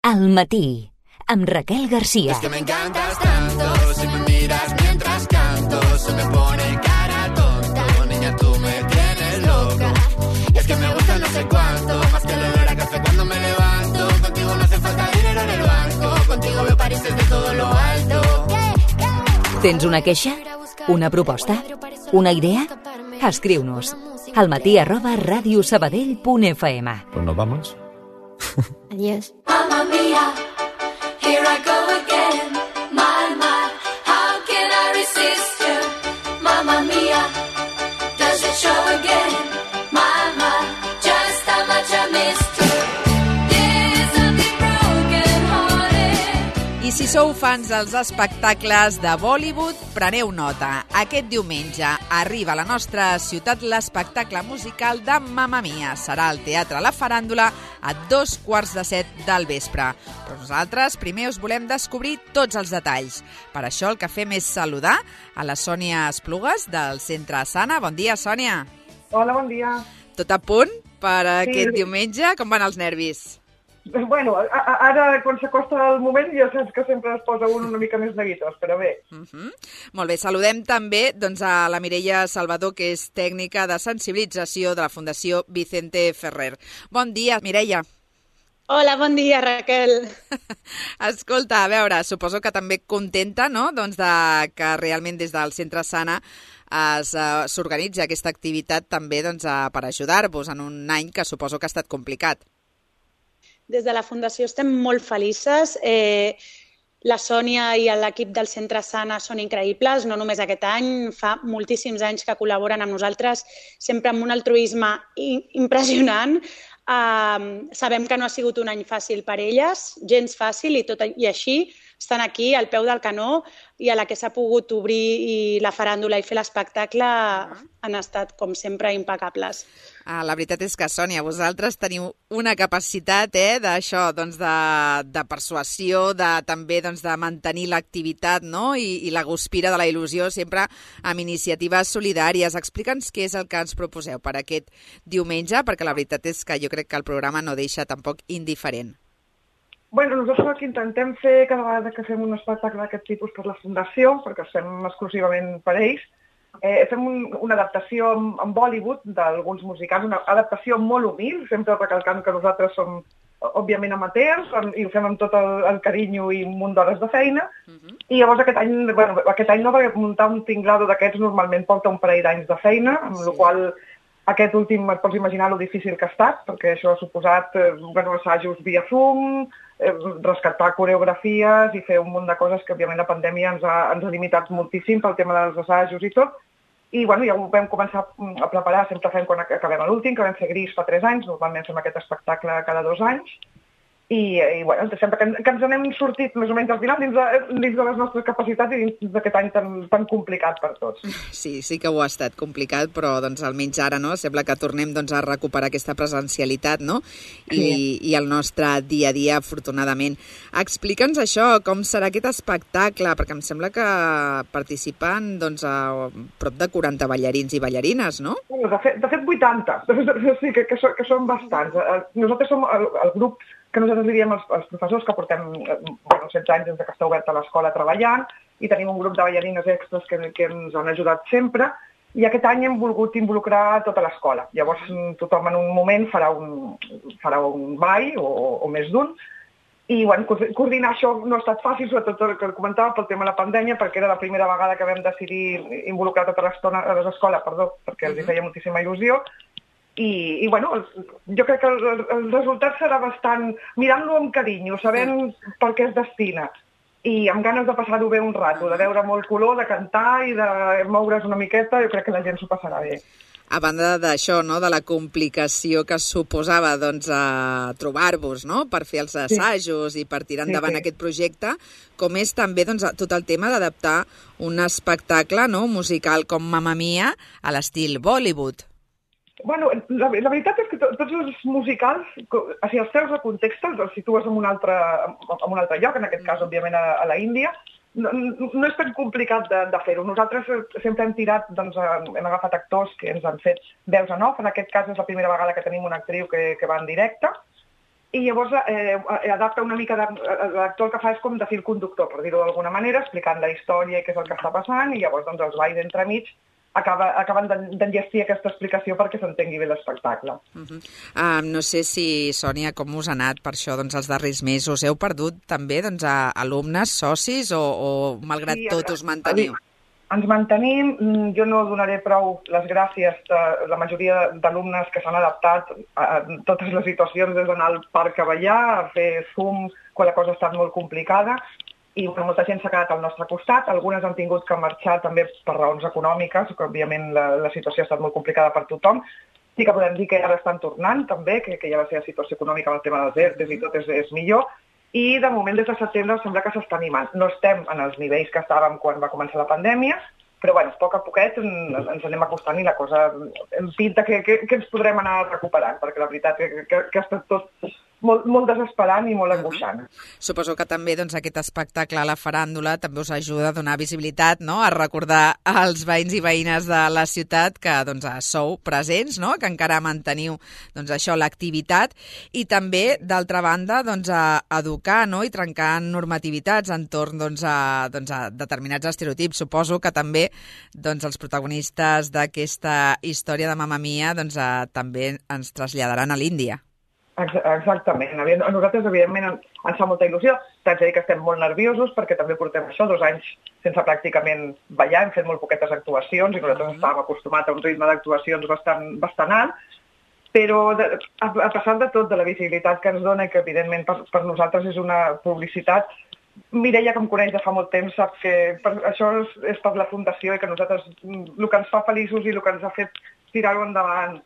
Al matí, amb Raquel García. Es que me encantas tanto, si me miras mientras canto, se me pone cara tonta. Niña, tú me tienes loca. Y es que me gusta no sé cuánto, más que el olor a café cuando me levanto. Contigo no hace falta dinero en el banco, contigo veo París desde todo lo alto. Tens una queixa? Una proposta? Una idea? Escriu-nos almatí@radiosabadell.fm. Pues nos vamos. Adiós. Mamma mia, here I go again. My, how can I resist you? Mamma mia, does it show again? My, just how much I missed you. There's something broken hearted. I si sou fans dels espectacles de Bollywood, preneu nota. Aquest diumenge arriba a la nostra ciutat l'espectacle musical de Mamma Mia. Serà al Teatre La Faràndula a 6:15 del vespre. Però nosaltres primer us volem descobrir tots els detalls. Per això el que fem és saludar a la Sònia Esplugues del Centre Sana. Bon dia, Sònia. Hola, bon dia. Tot a punt per aquest diumenge? Com van els nervis? Bueno, ara quan s'acosta el moment ja saps que sempre es posa una mica més neguitós, però bé. Molt bé, saludem també a la Mireia Salvador, que és tècnica de sensibilització de la Fundació Vicente Ferrer. Bon dia, Mireia. Hola, bon dia, Raquel. Escolta, a veure, suposo que també contenta, no?, doncs que realment des del Centre Sana s'organitza aquesta activitat també per ajudar-vos en un any que suposo que ha estat complicat. Des de la Fundació estem molt felices. La Sònia i l'equip del Centre Sana són increïbles, no només aquest any, fa moltíssims anys que col·laboren amb nosaltres, sempre amb un altruisme impressionant. Sabem que no ha sigut un any fàcil per elles, gens fàcil, i així estan aquí al peu del canó, i a la que s'ha pogut obrir la faràndula i fer l'espectacle han estat, com sempre, impecables. La veritat és que, Sònia, vosaltres teniu una capacitat d'això, de persuasió, també de mantenir l'activitat, no?, i la guspira de la il·lusió, sempre amb iniciatives solidàries. Explica'ns què és el que ens proposeu per aquest diumenge, perquè la veritat és que jo crec que el programa no deixa tampoc indiferent. Bueno, nosaltres el que intentem fer cada vegada que fem un espectacle d'aquest tipus per la Fundació, perquè es fem exclusivament per ells, fem una adaptació en Bollywood d'alguns musicals, una adaptació molt humil, sempre recalcant que nosaltres som, òbviament, amateurs, i ho fem amb tot el carinyo i un munt d'hores de feina. I llavors aquest any no, perquè muntar un tinglado d'aquests normalment porta un parell d'anys de feina, amb la qual aquest últim et pots imaginar lo difícil que ha estat, perquè això ha suposat assajos via Zoom, rescatar coreografies i fer un munt de coses que, òbviament, la pandèmia ens ha limitat moltíssim pel tema dels assajos i tot. I ja ho vam començar a preparar, sempre fem quan acabem l'últim, que vam fer Gris fa 3 anys, normalment fem aquest espectacle cada 2 anys. I sempre que ens n'hem sortit més o menys al final dins de les nostres capacitats i dins d'aquest any tan complicat per tots. Sí que ho ha estat complicat, però almenys ara sembla que tornem a recuperar aquesta presencialitat, no? I el nostre dia a dia, afortunadament. Explica'ns això, com serà aquest espectacle, perquè em sembla que participen a prop de 40 ballarins i ballarines, no? De fet 80, sí, que són bastants. Nosaltres som el grup que nosaltres li diem als professors que portem 16 anys des que està oberta l'escola treballant, i tenim un grup de ballarines extras que ens han ajudat sempre, i aquest any hem volgut involucrar tota l'escola. Llavors tothom en un moment farà un ball o més d'un, i coordinar això no ha estat fàcil, sobretot el que comentava pel tema de la pandèmia, perquè era la primera vegada que vam decidir involucrar tota l'estona a les escoles, perquè els feia moltíssima il·lusió. I jo crec que el resultat serà bastant mirant-lo amb carinyo, sabent per què es destina, i amb ganes de passar-ho bé un rato, de veure molt color, de cantar i de moure's una miqueta. Jo crec que la gent s'ho passarà bé. A banda d'això, no?, de la complicació que suposava trobar-vos, no?, per fer els assajos i per tirar endavant aquest projecte, com és també tot el tema d'adaptar un espectacle musical com Mamma Mia a l'estil Bollywood. Bueno, la veritat és que tots els musicals, si els treus de context, els situes en un altre lloc, en aquest cas, òbviament, a la Índia, no és tan complicat de fer-ho. Nosaltres sempre hem tirat, hem agafat actors que ens han fet veus en off. En aquest cas és la primera vegada que tenim una actriu que va en directe, i llavors adapta una mica, l'actor el que fa és com de fil conductor, per dir-ho d'alguna manera, explicant la història i què és el que està passant, i llavors doncs, els balls entremig acaben d'enllestir aquesta explicació perquè s'entengui bé l'espectacle. No sé si, Sònia, com us ha anat per això els darrers mesos? Heu perdut també alumnes, socis, o malgrat tot us manteniu? Ens mantenim. Jo no donaré prou les gràcies a la majoria d'alumnes que s'han adaptat a totes les situacions, des d'anar al parc a ballar, a fer Zoom, quan la cosa ha estat molt complicada, i molta gent s'ha quedat al nostre costat. Algunes han tingut que marxar també per raons econòmiques, que òbviament la situació ha estat molt complicada per tothom. Sí que podem dir que ara estan tornant també, que ja la seva situació econòmica amb el tema dels ERTEs i tot és millor, i de moment des de setembre sembla que s'està animant. No estem en els nivells que estàvem quan va començar la pandèmia, però bueno, a poc a poquet ens anem acostant i la cosa em pinta que ens podrem anar recuperant, perquè la veritat que ha estat tot molt desesperant i molt angoixant. Suposo que també aquest espectacle a la faràndula també us ajuda a donar visibilitat, no?, a recordar als veïns i veïnes de la ciutat que sou presents, no?, que encara manteniu això, l'activitat, i també, d'altra banda, a educar, no?, i trencar normativitats entorn a determinats estereotips. Suposo que també els protagonistes d'aquesta història de Mamma Mia també ens traslladaran a l'Índia. Exactament. A nosaltres, evidentment, ens fa molta il·lusió. T'haig de dir que estem molt nerviosos perquè també portem 2 anys sense pràcticament ballar, hem fet molt poquetes actuacions i nosaltres estàvem acostumats a un ritme d'actuacions bastant alt, però a pesar de tot, de la visibilitat que ens dona i que, evidentment, per nosaltres és una publicitat, Mireia, que em coneix de fa molt temps, sap que això és per la Fundació i que nosaltres, el que ens fa feliços i el que ens ha fet tirar-ho endavant,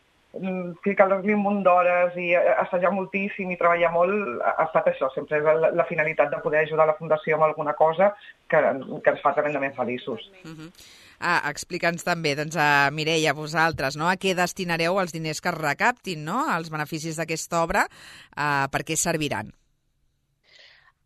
ficar-li un munt d'hores i assajar moltíssim i treballar molt, ha estat això, sempre és la finalitat de poder ajudar la Fundació amb alguna cosa que ens fa tremendament feliços. Explica'ns també, Mireia, vosaltres, no?, a què destinareu els diners que es recaptin, no?, els beneficis d'aquesta obra, per què serviran?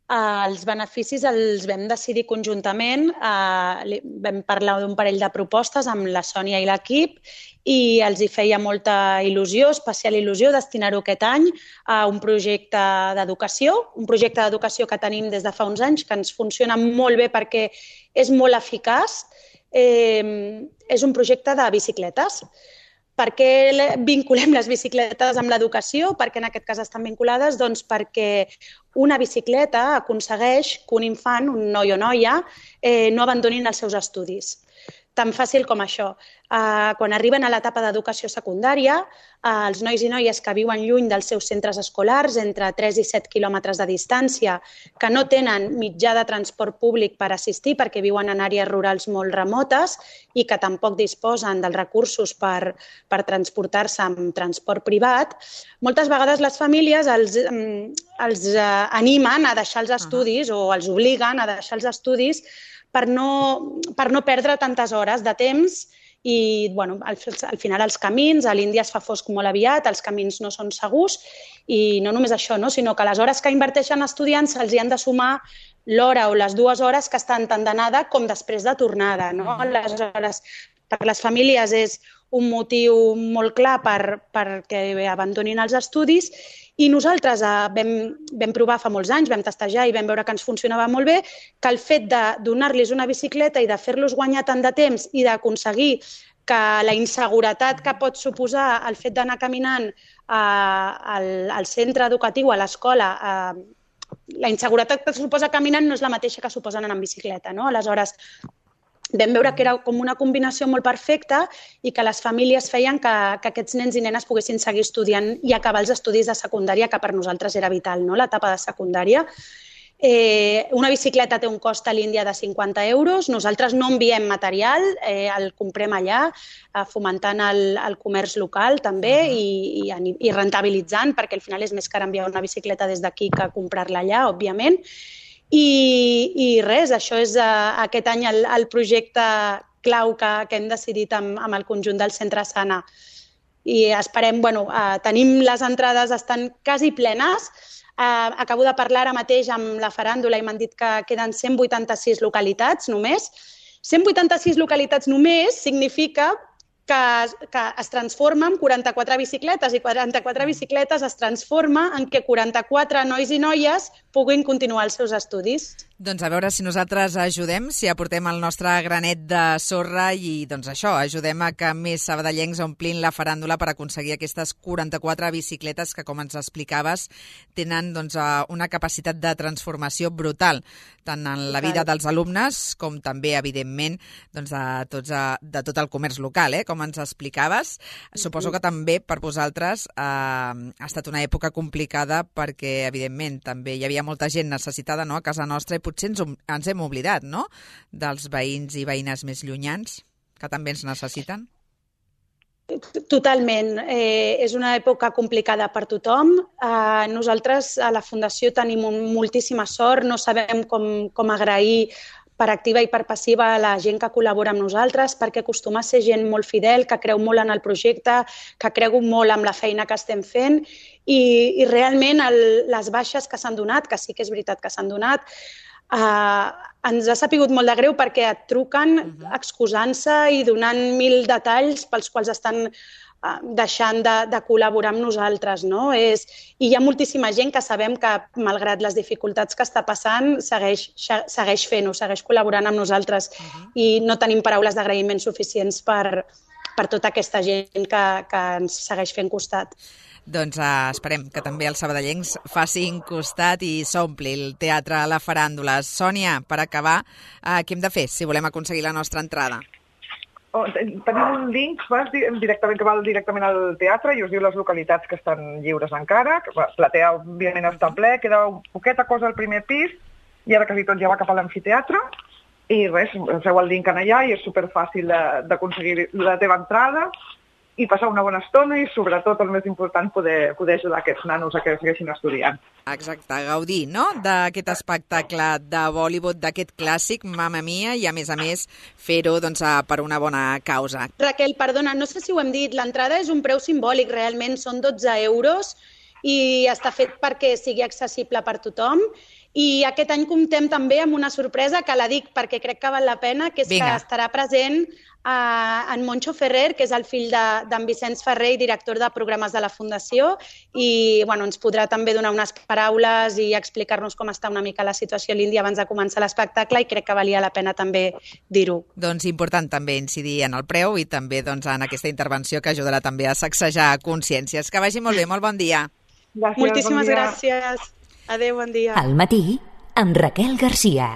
Els beneficis els vam decidir conjuntament, vam parlar d'un parell de propostes amb la Sònia i l'equip i els hi feia molta il·lusió, especial il·lusió, destinar-ho aquest any a un projecte d'educació que tenim des de fa uns anys, que ens funciona molt bé perquè és molt eficaç. És un projecte de bicicletes. Per què vinculem les bicicletes amb l'educació? Per què en aquest cas estan vinculades? Doncs perquè una bicicleta aconsegueix que un infant, un noi o noia, no abandonin els seus estudis. Tan fàcil com això. Quan arriben a l'etapa d'educació secundària, els nois i noies que viuen lluny dels seus centres escolars, entre 3 i 7 quilòmetres de distància, que no tenen mitjà de transport públic per assistir perquè viuen en àrees rurals molt remotes i que tampoc disposen dels recursos per transportar-se amb transport privat, moltes vegades les famílies els animen a deixar els estudis o els obliguen a deixar els estudis per no perdre tantes hores de temps i, al final els camins, a l'Índia es fa fosc molt aviat, els camins no són segurs i no només això, sinó que les hores que inverteixen estudiants se'ls hi han de sumar l'hora o les 2 hores que estan tant d'anada com després de tornada. Aleshores, per les famílies és un motiu molt clar perquè abandonin els estudis i nosaltres vam provar fa molts anys, vam testejar i vam veure que ens funcionava molt bé, que el fet de donar-los una bicicleta i de fer-los guanyar tant de temps i d'aconseguir que la inseguretat que pot suposar el fet d'anar caminant al centre educatiu, a l'escola, la inseguretat que suposa caminant no és la mateixa que suposen anar en bicicleta. Aleshores, vam veure que era com una combinació molt perfecta i que les famílies feien que aquests nens i nenes poguessin seguir estudiant i acabar els estudis de secundària, que per nosaltres era vital, l'etapa de secundària. Una bicicleta té un cost a l'Índia de 50 euros. Nosaltres no enviem material, el comprem allà, fomentant el comerç local també i rentabilitzant, perquè al final és més car enviar una bicicleta des d'aquí que comprar-la allà, òbviament. I res, això és aquest any el projecte clau que hem decidit amb el conjunt del Centre Sana. I esperem, tenim les entrades, estan quasi plenes. Acabo de parlar ara mateix amb la faràndula i m'han dit que queden 186 localitats només. 186 localitats només significa que es transforma en 44 bicicletes i 44 bicicletes es transforma en que 44 nois i noies puguin continuar els seus estudis. Doncs a veure si nosaltres ajudem, si aportem el nostre granet de sorra i doncs això, ajudem a que més sabadellencs omplin la faràndula per aconseguir aquestes 44 bicicletes que, com ens explicaves, tenen doncs, una capacitat de transformació brutal, tant en la vida dels alumnes com també, evidentment, doncs, de tot el comerç local, com ens explicaves. Suposo que també per vosaltres ha estat una època complicada perquè, evidentment, també hi havia molta gent necessitada, no?, a casa nostra, i potser ens hem oblidat, no?, dels veïns i veïnes més llunyans, que també ens necessiten. Totalment. És una època complicada per tothom. Nosaltres a la Fundació tenim moltíssima sort, no sabem com agrair per activa i per passiva a la gent que col·labora amb nosaltres, perquè acostuma a ser gent molt fidel, que creu molt en el projecte, que creu molt en la feina que estem fent i realment les baixes que s'han donat, que sí que és veritat que s'han donat, ens ha sapigut molt de greu perquè et truquen excusant-se i donant 1000 detalls pels quals estan deixant de col·laborar amb nosaltres, no? I hi ha moltíssima gent que sabem que, malgrat les dificultats que està passant, segueix fent-ho, segueix col·laborant amb nosaltres i no tenim paraules d'agraïment suficients per tota aquesta gent que ens segueix fent costat. Doncs esperem que també els sabadellencs facin costat i s'ompli el teatre a la faràndula. Sònia, per acabar, què hem de fer si volem aconseguir la nostra entrada? Tenim un link que va directament al teatre i us diu les localitats que estan lliures encara. Platea, òbviament, està ple, queda poqueta cosa al primer pis i ara quasi tot ja va cap a l'amfiteatre. I res, feu el link allà i és superfàcil d'aconseguir la teva entrada i passar una bona estona i, sobretot, el més important, poder ajudar aquests nanos a que segueixin estudiant. Exacte, gaudir, no?, d'aquest espectacle de Bollywood, d'aquest clàssic, Mamma Mia, i a més, fer-ho doncs, per una bona causa. Raquel, perdona, no sé si ho hem dit, l'entrada és un preu simbòlic, realment són 12 euros i està fet perquè sigui accessible per tothom. I aquest any comptem també amb una sorpresa que la dic perquè crec que val la pena, que és que estarà present en Moncho Ferrer, que és el fill d'en Vicenç Ferrer i director de programes de la Fundació, i ens podrà també donar unes paraules i explicar-nos com està una mica la situació a l'Índia abans de començar l'espectacle, i crec que valia la pena també dir-ho. Doncs important també incidir en el preu i també en aquesta intervenció que ajudarà també a sacsejar consciències. Que vagi molt bé, molt bon dia. Gràcies, moltíssimes gràcies. Adéu, bon dia. Al matí, amb Raquel Garcia.